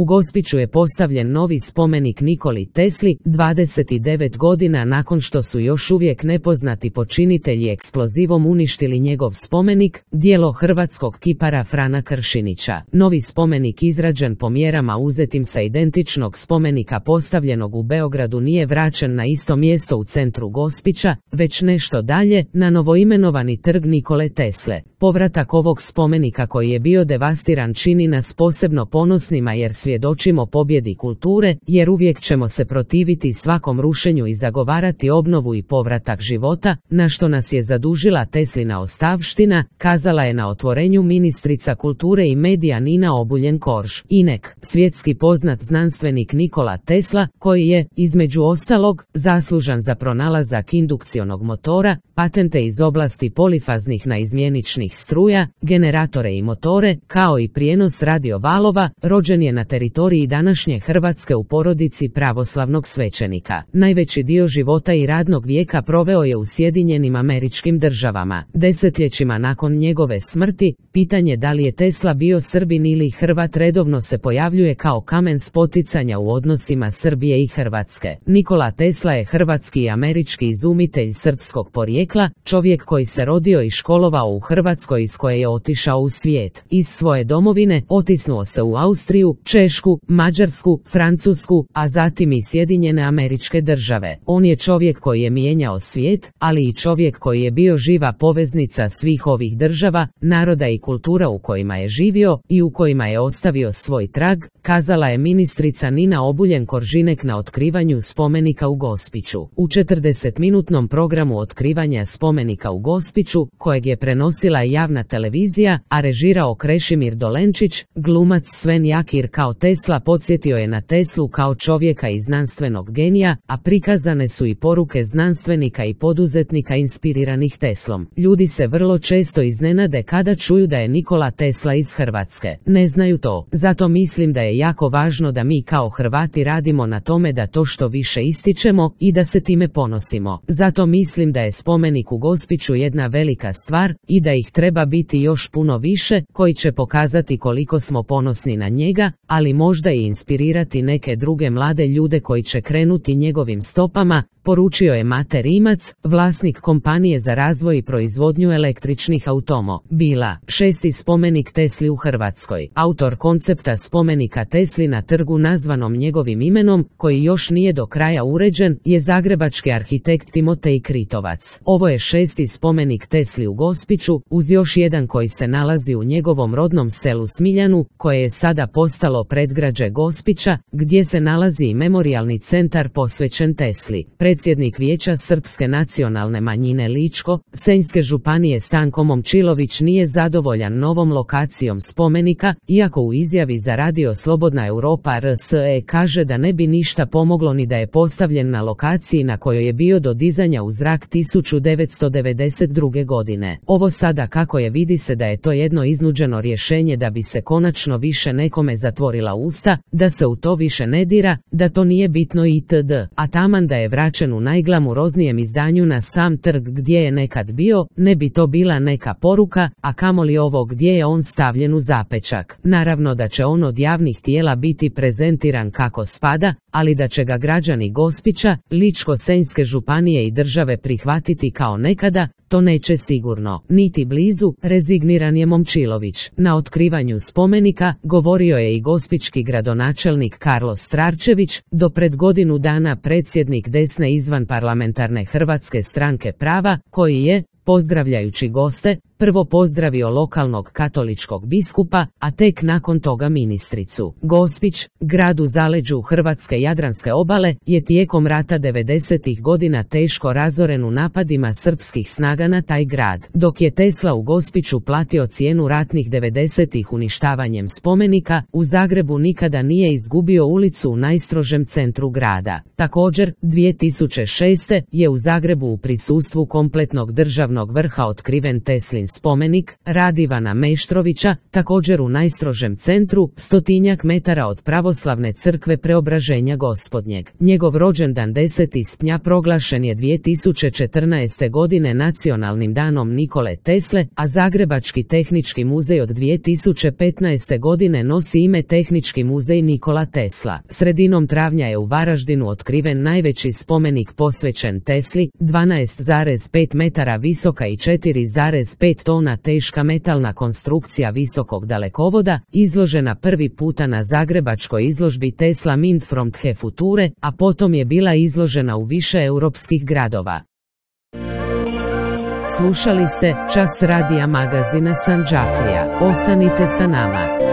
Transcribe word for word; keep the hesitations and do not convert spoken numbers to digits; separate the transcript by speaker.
Speaker 1: U Gospiću je postavljen novi spomenik Nikoli Tesli, dvadeset devet godina nakon što su još uvijek nepoznati počinitelji eksplozivom uništili njegov spomenik, djelo hrvatskog kipara Frana Kršinića. Novi spomenik izrađen po mjerama uzetim sa identičnog spomenika postavljenog u Beogradu nije vraćen na isto mjesto u centru Gospića, već nešto dalje, na novoimenovani trg Nikole Tesle. Povratak ovog spomenika koji je bio devastiran čini nas posebno ponosnima jer svjedočimo pobjedi kulture, jer uvijek ćemo se protiviti svakom rušenju i zagovarati obnovu i povratak života, na što nas je zadužila Teslina ostavština, kazala je na otvorenju ministrica kulture i medija Nina Obuljen-Korž. Inek, svjetski poznat znanstvenik Nikola Tesla, koji je, između ostalog, zaslužan za pronalazak indukcionog motora, patente iz oblasti polifaznih naizmjeničnih struja, generatore i motore, kao i prijenos radiovalova, rođen je na teritoriji današnje Hrvatske u porodici pravoslavnog svećenika. Najveći dio života i radnog vijeka proveo je u Sjedinjenim Američkim Državama. Desetljećima nakon njegove smrti, pitanje da li je Tesla bio Srbin ili Hrvat redovno se pojavljuje kao kamen spoticanja u odnosima Srbije i Hrvatske. Nikola Tesla je hrvatski i američki izumitelj srpskog porijekla, čovjek koji se rodio i školovao u Hrvatskoj iz koje je otišao u svijet. Iz svoje domovine otisnuo se u Austriju, Češku, Mađarsku, Francusku, a zatim i Sjedinjene Američke Države. On je čovjek koji je mijenjao svijet, ali i čovjek koji je bio živa poveznica svih ovih država, naroda i kultura u kojima je živio i u kojima je ostavio svoj trag, kazala je ministrica Nina Obuljen-Koržinek na otkrivanju spomenika u Gospiću. U četrdesetminutnom programu otkrivanja spomenika u Gospiću, kojeg je prenosila javna televizija, a režirao Krešimir Dolenčić, glumac Sven Jakir kao Tesla podsjetio je na Teslu kao čovjeka i znanstvenog genija, a prikazane su i poruke znanstvenika i poduzetnika inspiriranih Teslom. Ljudi se vrlo često iznenade kada čuju da je Nikola Tesla iz Hrvatske. Ne znaju to, zato mislim da je jako važno da mi kao Hrvati radimo na tome da to što više ističemo i da se time ponosimo. Zato mislim da je spomenik u Gospiću jedna velika stvar i da ih treba biti još puno više, koji će pokazati koliko smo ponosni na njega, ali možda i inspirirati neke druge mlade ljude koji će krenuti njegovim stopama, poručio je Mate Rimac, vlasnik kompanije za razvoj i proizvodnju električnih automobila. Šesti spomenik Tesli u Hrvatskoj. Autor koncepta spomenika Tesli na trgu nazvanom njegovim imenom, koji još nije do kraja uređen, je zagrebački arhitekt Timotej Kritovac. Ovo je šesti spomenik Tesli u Gospiću, uz još jedan koji se nalazi u njegovom rodnom selu Smiljanu, koje je sada postalo predgrađe Gospića, gdje se nalazi i memorijalni centar posvećen Tesli. Predsjednik Vijeća Srpske nacionalne manjine Ličko-senjske županije Stanko Momčilović nije zadovoljan novom lokacijom spomenika, iako u izjavi za radio Slobodna Europa R S E kaže da ne bi ništa pomoglo ni da je postavljen na lokaciji na kojoj je bio do dizanja u zrak tisuću devetsto devedeset druge. godine. Ovo sada kako je vidi se da je to jedno iznuđeno rješenje da bi se konačno više nekome zatvorila usta, da se u to više ne dira, da to nije bitno itd. A taman da je vraćen u najglamuroznijem izdanju na sam trg gdje je nekad bio, ne bi to bila neka poruka, a kamoli ovo gdje je on stavljen u zapečak. Naravno da će on od javnih tijela biti prezentiran kako spada, ali da će ga građani Gospića, Ličko-senjske županije i države prihvatiti kao nekada, to neće sigurno, niti blizu, rezigniran je Momčilović. Na otkrivanju spomenika govorio je i gospićki gradonačelnik Karlo Strarčević, do pred godinu dana predsjednik desne izvanparlamentarne Hrvatske stranke prava, koji je, pozdravljajući goste, prvo pozdravio lokalnog katoličkog biskupa, a tek nakon toga ministricu. Gospić, grad u zaleđu hrvatske jadranske obale, je tijekom rata devedesetih godina teško razoren u napadima srpskih snaga na taj grad. Dok je Tesla u Gospiću platio cijenu ratnih devedesetih uništavanjem spomenika, u Zagrebu nikada nije izgubio ulicu u najstrožem centru grada. Također, dvije tisuće šeste. je u Zagrebu u prisustvu kompletnog državnog vrha otkriven Teslin spomenik, rad Ivana Meštrovića, također u najstrožem centru, stotinjak metara od pravoslavne crkve Preobraženja Gospodnjeg. Njegov rođendan deseti srpnja proglašen je dvije tisuće četrnaeste. godine Nacionalnim danom Nikole Tesle, a Zagrebački tehnički muzej od dvije tisuće petnaeste. godine nosi ime Tehnički muzej Nikola Tesla. Sredinom travnja je u Varaždinu otkriven najveći spomenik posvećen Tesli, dvanaest zarez pet metara visoka i četiri zarez pet tona teška metalna konstrukcija visokog dalekovoda, izložena prvi puta na zagrebačkoj izložbi Tesla Mint from the Future, a potom je bila izložena u više europskih gradova. Slušali ste Čas radija magazina Sandžaklija. Ostanite sa nama.